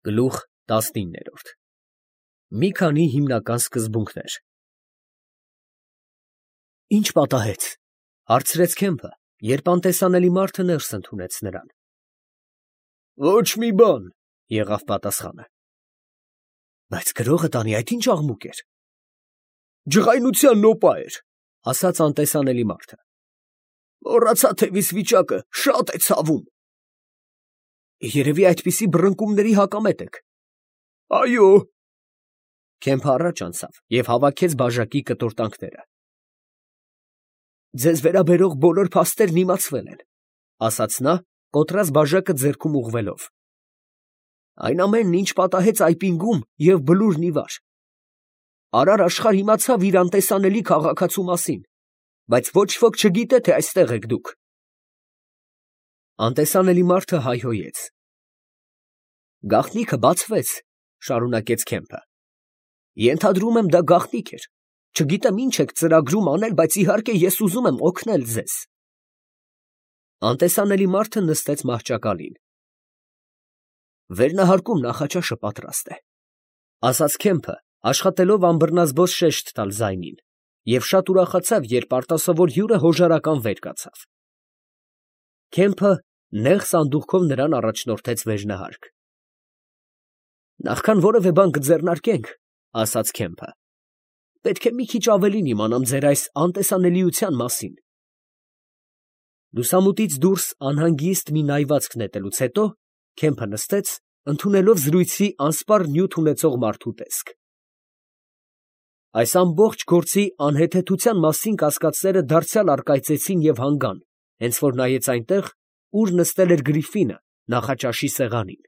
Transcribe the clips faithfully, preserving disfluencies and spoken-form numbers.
Գլուխ տասնինը Մի քանի հիմնական սկզբունքներ Ի՞նչ պատահեց, ֊ հարցրեց Քեմփը, երբ անտեսանելի մարդը ներս ընդունեց նրան։ ֊ Ոչ մի բան, ֊ եղավ պատասխանը։ ֊ Բայց գրողը տանի այդ ի՞նչ աղմուկ էր։ ֊ Ջղայնության նոպա էր, ֊ ասաց անտեսանելի մարդը։ ֊ Մոռացա, թե վիզվիճակը շատ է ցավում։ ֊ Երևի այդպիսի բռնկումների հակամետ եք։ ֊ Այո։ Քեմփը առաջ անցավ և հավաքեց բաժակի կտորտանքները։ ֊ Ձեզ վերաբերող բոլոր փաստերն իմացվել են, ֊ ասաց նա, կոտրած բաժակը ձեռքում ուղղվելով։ ֊ Այն ամենն, ինչ պատահեց Այպինգում և Բլուրն ի վար. արար աշխարհ իմացավ իր անտեսանելի քաղաքացու մասին, բայց ոչ ոք չգիտե, թե այստեղ եք դուք։ Անտեսանելի մարդը հայհոյեց։ ֊ Գաղտնիքը բացվեց, ֊ շարունակեց Քեմփը։ Ենթադրում եմ, դա գաղտնիք էր, չգիտեմ ինչ եք ծրագրում անել, բայց իհարկե ես ուզում եմ օգնել ձեզ։ Անտեսանելի մարդը նստեց մահճակալին։ Վերնահարկում նախաճաշը պատրաստ է, ֊ ասաց Քեմփը, աշխատելով անբռնազբոս շեշտ տալ ձայնին, և շատ ուրախացավ, երբ արտասովոր հյուրը հոժարական վեր կացավ։ Քեմփը նեղ սանդուղքով նրան առաջնորդեց վերնահարկ։ Նախքան որևէ բան կձեռնարկենք, ֊ ասաց Քեմփը, պետք է մի քիչ ավելին իմանամ ձեր այս անտեսանելիության մասին։ Լուսամուտից դուրս անհանգիստ մի նայվածք նետելուց հետո Քեմփը նստեց, ընդունելով զրույցի անսպառ նյութ ունեցող մարդու տեսք։ Այս ամբողջ գործի անհեթեթության մասին կասկածները դարձյալ առկայծեցին և հանգան, հենց որ նայեց այնտեղ, ուր նստել էր Գրիֆինը նախաճաշի սեղանին։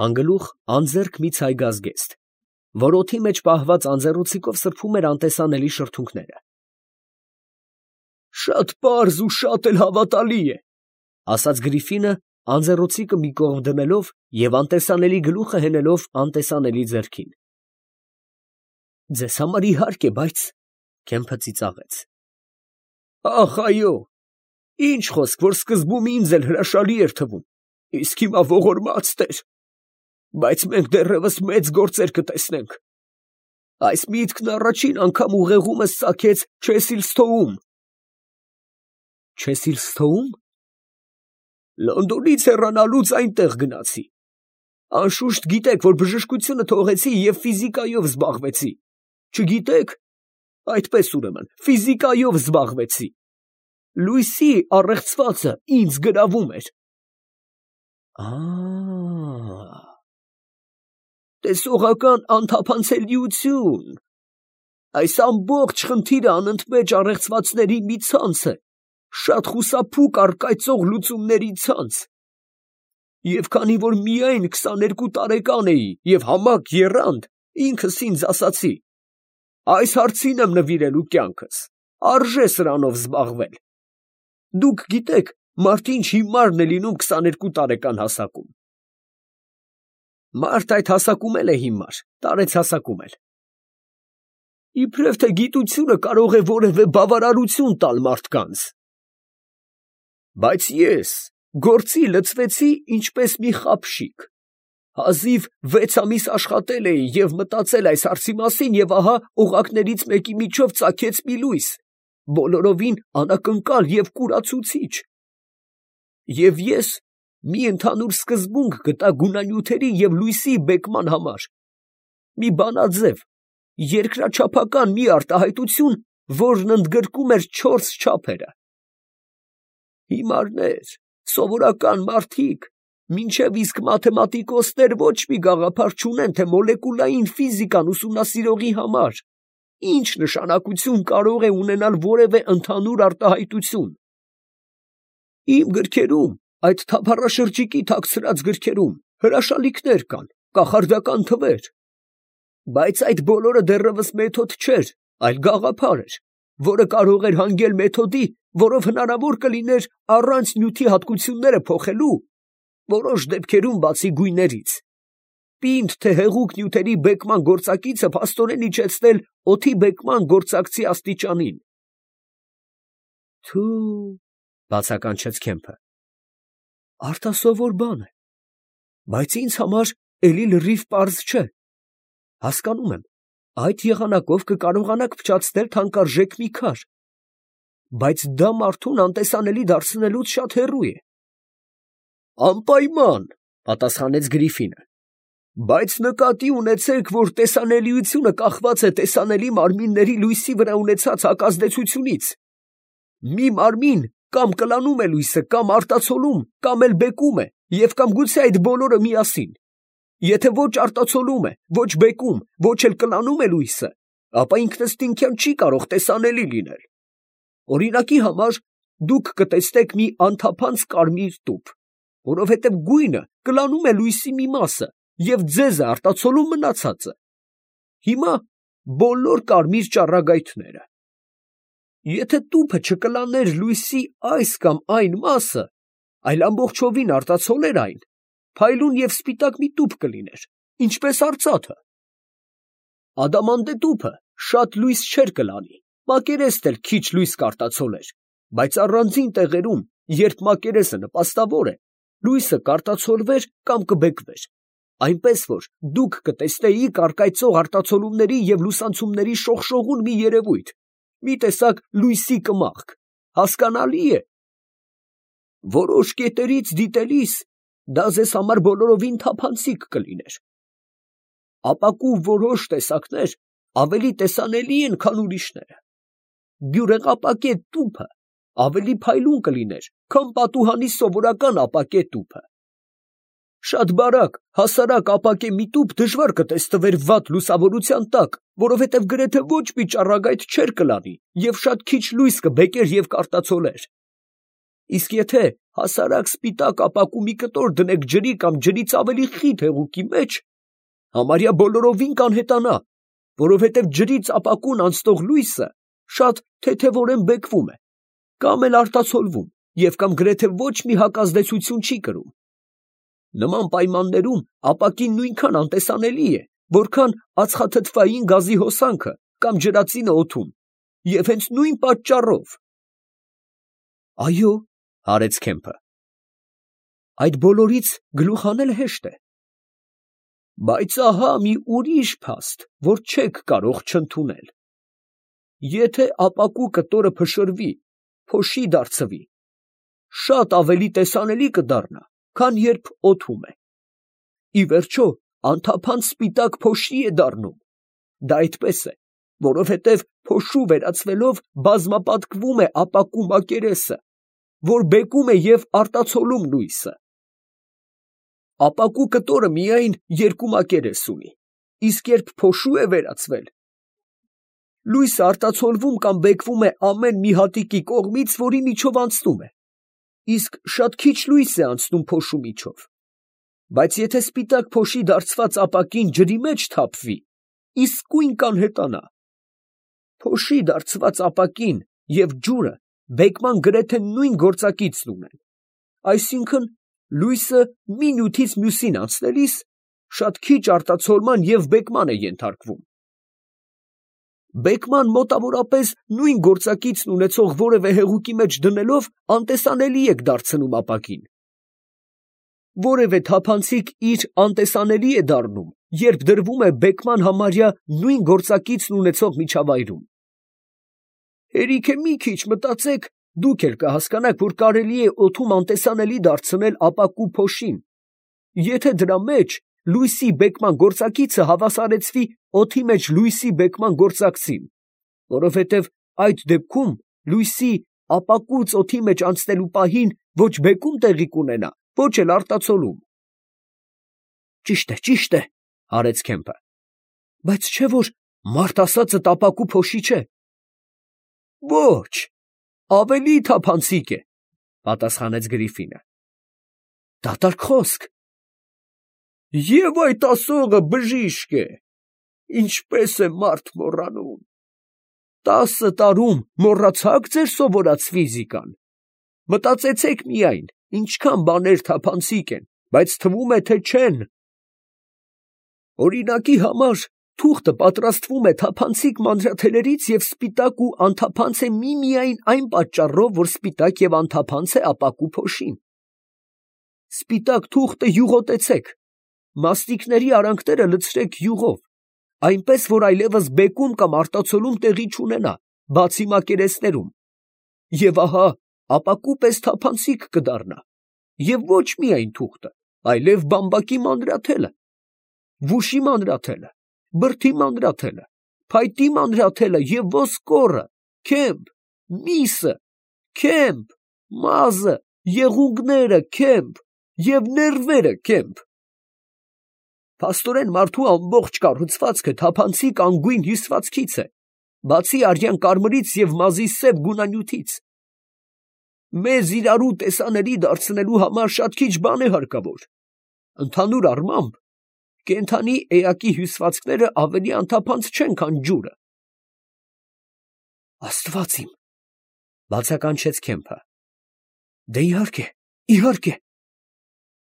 Անգլուխ անձեռք մի ցայգազգեստ, որ օդի մեջ պահված անձեռնոցիկով սրբում էր անտեսանելի շրթունքները։ Շատ պարզ ու շատ էլ հավատալի է, ֊ ասաց Գրիֆինը, անձեռնոցիկը մի կողմ դնելով և անտեսանելի գլուխը հենելով անտեսանելի ձեռքին։ Ձեզ համար իհարկե, բայց… Քեմփը ծիծաղեց։ Ախ, այո, ինչ խոսք, որ սկզբում ինձ էլ հրաշալի էր թվում, իսկ հիմա ողորմած տեր… Բայց մենք դեռևս մեծ գործեր կտեսնենք։ Այս միտքն առաջին անգամ ուղեղումս ծագեց Չեսիլսթոում։ Չեսիլսթոու՞մ։ Լոնդոնից հեռանալուց այնտեղ գնացի։ Անշուշտ գիտեք, որ բժշկությունը թողեցի և ֆիզիկայով զբաղվեցի։ Չգիտեք։ Այդպես ուրեմն, ֆիզիկայով զբաղվեցի։ Լույսի առեղծվածը ինձ գրավում էր։ Ա՜… Տեսողական անթափանցելիություն… Այս ամբողջ խնդիրը անընդմեջ առեղծվածների մի ցանց է, շատ խուսափուկ առկայծող լուծումների ցանց… Եվ քանի որ միայն քսաներկու տարեկան էի և համակ եռանդ, ինքս ինձ ասացի. այս հարցին եմ նվիրելու կյանքս, արժե սրանով զբաղվել… Դուք գիտեք, մարդ ինչ հիմարն է լինում քսաներկու տարեկան հասակում… Մարդ այդ հասակում էլ է հիմար, տարեց հասակում էլ… Իբրև թե գիտությունը կարող է որևէ բավարարություն տալ մարդկանց… Բայց ես գործի լծվեցի ինչպես մի խաբշիկ… Հազիվ վեց ամիս աշխատել էի և մտածել այս հարցի մասին, և ահա օղակներից մեկի միջով ծագեց մի լույս, բոլորովին անակնկալ և կուրացուցիչ… Եվ ես մի ընդհանուր սկզբունք գտա գունանյութերի և լույսի բեկման համար… Մի բանաձև, երկրաչափական մի արտահայտություն, որն ընդգրկում էր չորս չափերը… Հիմարներ, սովորական մարդիկ, մինչև իսկ մաթեմատիկոսներ ոչ մի գաղափար չունեն, թե մոլեկուլային ֆիզիկան ուսումնասիրողի համար ինչ նշանակություն կարող է ունենալ որևէ ընդհանուր արտահայտություն… Իմ գրքերում, այդ թափառաշրջիկի թաքցրած գրքերում, հրաշալիքներ կան, կախարդական թվեր… Բայց այդ բոլորը դեռևս մեթոդ չէր, այլ գաղափար էր, որը կարող էր հանգել մեթոդի, որով հնարավոր կլիներ առանց նյութի հատկությունները փոխելու, որոշ դեպքերում բացի գույներից, պինդ թե հեղուկ նյութերի բեկման գործակիցը փաստորեն իջեցնել օդի բեկման գործակցի աստիճանին… Թո՛ւ, ֊ բացականչեց Քեմփը, արտասովոր բան է… Բայց ինձ համար էլի լրիվ պարզ չէ։ Հասկանում եմ, այդ եղանակով կկարողանաք փչացնել թանկարժեք մի քար, բայց դա մարդուն անտեսանելի դարձնելուց շատ հեռու է։ Անպայման, պատասխանեց Գրիֆինը, բայց նկատի ունեցեք, որ տեսանելիությունը կախված է տեսանելի մարմինների լույսի վրա ունեցած հակազդեցությունից։ Մի մարմին կամ կլանում է լույսը, կամ արտացոլում, կամ էլ բեկում է, և կամ գուցե այդ բոլորը միասին։ Եթե ոչ արտացոլում է, ոչ բեկում, ոչ էլ կլանում է լույսը, ապա ինքնըստինքյան չի կարող տեսանելի լինել։ Օրինակի համար, դուք կտեսնեք մի անթափանց կարմիր տուփ, որովհետև գույնը կլանում է լույսի մի մասը և ձեզ է արտացոլում մնացածը։ Հիմա բոլոր կարմիր ճառագայթները։ Եթե տուփը չկլաներ լույսի այս կամ այն մասը, այլ ամբողջովին արտացոլեր այն, փայլուն և սպիտակ մի տուփ կլիներ, ինչպես արծաթը։ Ադամանդե տուփը շատ լույս չէր կլանի, մակերեստ էլ քիչ լույս կարտացոլեր, բայց առանձին տեղերում, երբ մակերեսը նպաստավոր է, լույսը կարտացոլվեր կամ կբեկվեր, այնպես որ դուք կտեսնեիք առկայծող արտացոլումների և լուսանցումների շողշողուն մի երևույթ, մի տեսակ լույսի կմախք, հասկանալի է։ Որոշ կետերից դիտելիս դա ձեզ համար բոլորովին թափանցիկ կլիներ։ Ապակու որոշ տեսակներ ավելի տեսանելի են, քան ուրիշները։ Բյուրեղապակե տուփը ավելի փայլուն կլիներ, քան պատուհանի սովորական ապակե տուփը։ Շատ բարակ, հասարակ ապակե մի տուփ դժվար կտեսնվեր վատ լուսավորության տակ, որովհետև գրեթե ոչ մի ճառագայթ չէր կլանի և շատ քիչ լույս կբեկեր և կարտացոլեր։ Իսկ եթե հասարակ սպիտակ ապակու մի կտոր դնեք ջրի կամ ջրից ավելի խիտ հեղուկի մեջ, համարյա բոլորովին կանհետանա, որովհետև ջրից ապակուն անցնող լույսը շատ թեթևորեն բեկվում է, կամ էլ արտացոլվում և կամ գրեթե ոչ մի հակազդեցություն չի կրում։ Նման պայմաններում ապակին նույնքան անտեսանելի է, որքան ածխաթթվային գազի հոսանքը կամ ջրածինը օդում, և հենց նույն պատճառով։ Այո, հարեց Քեմփը, այդ բոլորից գլուխ հանել հեշտ է։ Բայց ահա մի ուրիշ փաստ, որ չեք կարող չընդունել։ Եթե ապակու կտորը փշրվի, փոշի դարձվի, շատ ավելի տեսանելի կդառնա, քան երբ օդում է։ Ի վերջո, անթափանց սպիտակ փոշի է դառնում։ Դա այդպես է, որովհետև փոշու վերածվելով բազմապատկվում է ապակու մակերեսը, որ բեկում է և արտացոլում լույսը։ Ապակու կտորը միայն երկու մակերես ունի, իսկ երբ փոշու է վերածվել, լույսը արտացոլվում կամ բեկվում է ամեն մի հատիկի կողմից, որի միջով անցնում է, իսկ շատ քիչ լույս է անցնում փոշու միջով։ Բայց եթե սպիտակ փոշի դարձված ապակին ջրի մեջ թափվի, իսկույն կանհետանա։ Փոշի դարձված ապակին և ջուրը բեկման գրեթե նույն գործակիցն ունեն, այսինքն լույսը մի նյութից մյուսին անցնելիս շատ քիչ արտացոլման և բեկման է ենթարկվում։ Բեկման մոտավորապես նույն գործակիցն ունեցող որևէ հեղուկի մեջ դնելով անտեսանելի եք դարձնում ապակին։ Որևէ թափանցիկ իր անտեսանելի է դառնում, երբ դրվում է բեկման համարյա նույն գործակիցն ունեցող միջավայրում։ Հերիք է մի քիչ մտածեք, դուք էլ կհասկանաք, որ կարելի է օդում անտեսանելի դարձնել ապակու փոշին, եթե դրա մեջ լույսի բեկման գործակիցը հավասարեցվի օդի մեջ լույսի բեկման գործակցին, որովհետև այդ դեպքում լույսի ապակուց օդի մեջ անցնելու պահին ոչ բեկում տեղի կունենա, ոչ էլ արտացոլում։ Ճիշտ է, ճիշտ է, հարեց Քեմփը, բայց չէ՞ որ մարդ ասածը ապակու փոշի չէ։ Ոչ, ավելի թափանցիկ է, պատասխանեց Գրիֆինը։ Դատարկ խոսք։ Եվ այդ ասողը բժիշկ է, ինչպես է մարդ մոռանում։ Տասը տարում մոռացա՞ք ձեր սովորած ֆիզիկան։ Մտածեցեք միայն, ինչքան բաներ թափանցիկ են, բայց թվում է, թե չեն։ Օրինակի համար, թուղթը պատրաստվում է թափանցիկ մանրաթելերից և սպիտակ ու անթափանց է միմիայն այն պատճառով, որ սպիտակ և անթափանց է ապակու փոշին։ Սպիտակ թուղթը յուղոտեցեք, մաստիկների արանքները լցրեք յուղով, այնպես, որ այլևս բեկում կամ արտացոլում տեղի չունենա, բացի մակերեսներում, և ահա ապակու պես թափանցիկ կդառնա, և ոչ միայն թուղթը, այլև բամբակի մանրաթելը, վուշի մանրաթելը, բրդի մանրաթելը, փայտի մանրաթելը և ոսկորը, քեմփ, միսը, քեմփ, մազը, եղունգները, քեմփ և ներվերը, քեմփ։ Փաստորեն մարդու ամբողջ կառուցվածքը թափանցիկ անգույն հյուսվածքից է, բացի արյան կարմրից և մազի սև գունանյութից։ Մեզ իրարու տեսանելի դարձնելու համար շատ քիչ բան է հարկավոր. ընդհանուր առմամբ, կենդանի էակի հյուսվածքները ավելի անթափանց չեն, քան ջուրը։ Աստված իմ, բացականչեց Քեմփը։ Դե իհարկե, իհարկե։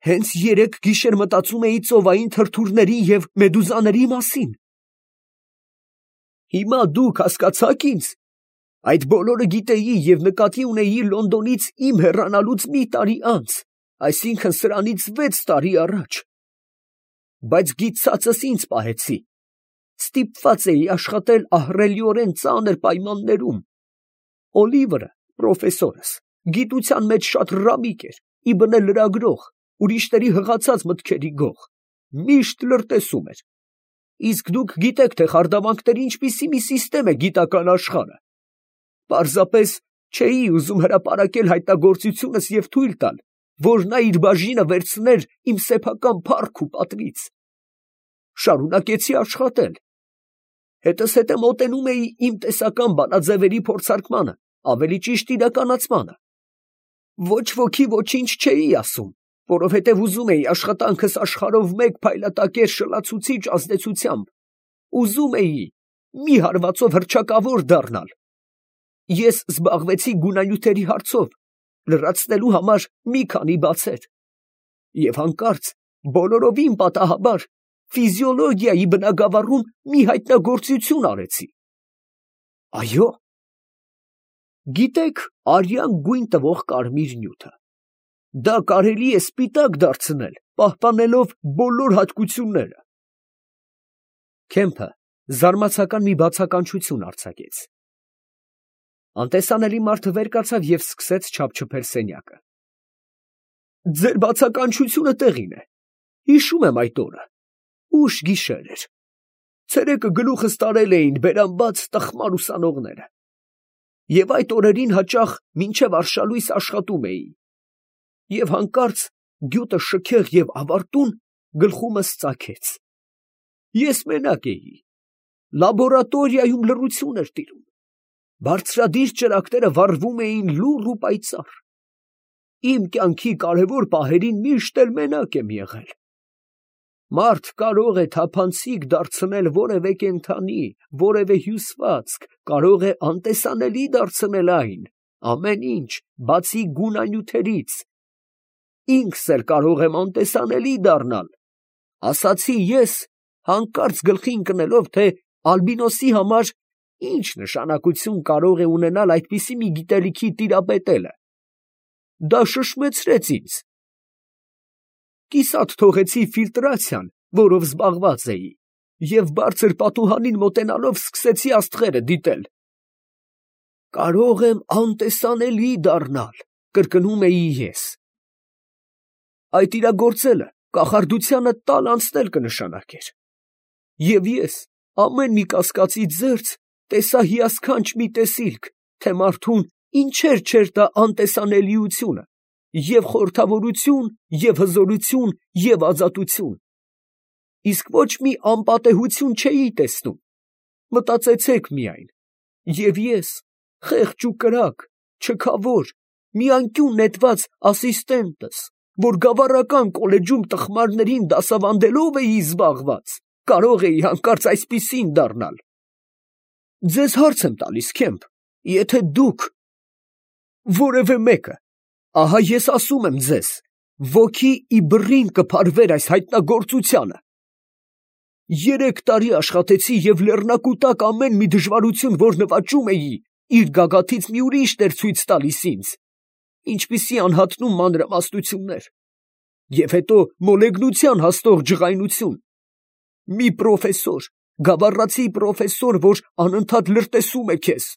Հենց երեկ գիշեր մտածում էի ծովային թրթուրների և մեդուզաների մասին։ Հիմա դուք հասկացա՞ք ինձ։ Այդ բոլորը գիտեի և նկատի ունեի Լոնդոնից իմ հեռանալուց մի տարի անց, այսինքն սրանից վեց տարի առաջ։ Բայց գիտցածս ինձ պահեցի. ստիպված էի աշխատել ահռելիորեն ծանր պայմաններում։ Օլիվերը, պրոֆեսորս, գիտության մեջ շատ ռամիկ էր, իբնե լրագրող, ուրիշների հղացած մտքերի գող, միշտ լրտեսում էր։ Իսկ դուք գիտեք, թե խարդավանքների ինչպիսի մի սիստեմ է գիտական աշխարհը։ Պարզապես չէի ուզում հրապարակել հայտնագործությունս և թույլ տալ, որ նա իր բաժինը վերցներ իմ սեփական փառք ու պատվից։ Շարունակեցի աշխատել։ Հետզհետե մոտենում էի իմ տեսական բանաձևերի փորձարկմանը, ավելի ճիշտ իրականացմանը։ Ոչ ոքի ոչինչ չէի ասում, որովհետև ուզում էի աշխատանքս աշխարհով մեկ փայլատակեր շլացուցիչ ազդեցությամբ, ուզում էի մի հարվածով հռչակավոր դառնալ։ Ես զբաղվեցի գունանյութերի հարցով, լրացնելու համար մի քանի բացեր, և հանկարծ բոլորովին պատահաբար ֆիզիոլոգիայի բնագավառում մի հայտնագործություն արեցի։ Այո, գիտեք արյան գույն տվող կարմիր նյութը։ Դա կարելի է սպիտակ դարձնել, պահպանելով բոլոր հատկությունները։ Քեմփը զարմացական մի բացականչություն արձակեց։ Անտեսանելի մարդը վեր կացավ և սկսեց չափչփել սենյակը։ Ձեր բացականչությունը տեղին է։ Հիշում եմ այդ օրը։ Ուշ գիշեր էր։ Ցերեկը գլուխս տարել էին բերանբաց տխմար ուսանողները։ Եվ այդ օրերին հաճախ մինչև արշալույս աշխատում էի։ Եվ հանկարծ գյուտը շքեղ և ավարտուն գլխումս ծագեց։ Ես մենակ էի։ Լաբորատորիայում լռություն էր տիրում։ Բարձրադիր ճրագները վառվում էին լուռ ու պայծառ։ Իմ կյանքի կարևոր պահերին միշտ էլ մենակ եմ եղել։ Մարդ կարող է թափանցիկ դարձնել որևէ կենդանի, որևէ հյուսվածք, կարող է անտեսանելի դարձնել այն, ամեն ինչ, բացի գունանյութերից։ Ինքս էլ կարող եմ անտեսանելի դառնալ, ասացի ես, հանկարծ գլխի ընկնելով, թե ալբինոսի համար ինչ նշանակություն կարող է ունենալ այդպիսի մի գիտելիքի տիրապետելը։ Դա շշմեցրեց ինձ։ Կիսատ թողեցի ֆիլտրացիան, որով զբաղված էի, և բարձր պատուհանին մոտենալով սկսեցի աստղերը դիտել։ Կարող եմ անտեսանելի դառնալ, կրկնում էի ես։ Այդ իրագործելը կախարդությանը տալ անցնել կնշանակեր։ Եվ ես ամեն մի կասկածի ձերձ տեսա հիասքանչ մի տեսիլք, թե մարդուն ինչեր չէր տա անտեսանելիությունը, և խորհրդավորություն, և հզորություն, և ազատություն։ Իսկ ոչ մի անպատեհություն չէի տեսնում։ Մտածեցեք միայն, և ես, խեղճ ու կրակ, չքավոր, մի անկյուն նետված ասիստենտս, որ գավառական կոլեջում տխմարներին դասավանդելով էի զբաղված, կարող էի հանկարծ այսպիսին դառնալ։ Ձեզ հարց եմ տալիս, Քեմփ, եթե դուք որևէ մեկը, ահա ես ասում եմ ձեզ, ոգի ի բռին կփարվեր այս հայտնագործությանը։ Երեք տարի աշխատեցի և լեռնակուտակ ամեն մի դժվարություն, որ նվաճում էի, իր գագաթից մի ուրիշն էր ցույց տալիս ինձ, ինչպիսի անհատնում մանրամասնություններ։ Եվ հետո մոլեգնության հասնող ջղայնություն։ Մի պրոֆեսոր, գավառացի պրոֆեսոր, որ անընդհատ լրտեսում է քեզ։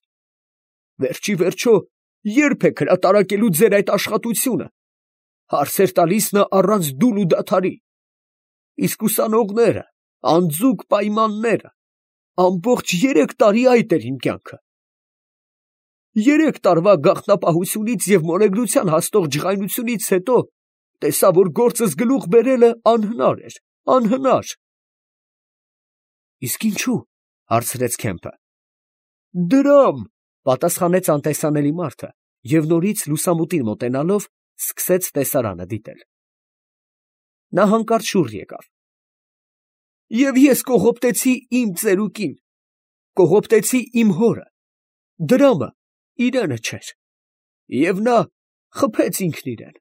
Վերջի վերջո, ե՞րբ եք հրատարակելու ձեր այդ աշխատությունը։ Հարցեր տալիս նա առանց դուլ ու դադարի։ Իսկ ուսանողները, անձուկ պայմանները, ամբողջ երեք տարի այդ էր իմ կյանքը։ Երեք տարվա գաղտնապահությունից և մոլեգնության հասնող ջղայնությունից հետո տեսա, որ գործս գլուխ բերելը անհնար էր, անհնար։ Իսկ ինչու՞, հարցրեց Քեմփը։ Դրամ, պատասխանեց անտեսանելի մարդը և նորից լուսամուտին մոտենալով սկսեց տեսարանը դիտել։ Նա հանկարծ շուռ եկավ։ Եվ ես կողոպտեցի իմ ծերուկին, կողոպտեցի իմ հորը, դրամը իրենը չէր, և նա խփեց ինքն իրան։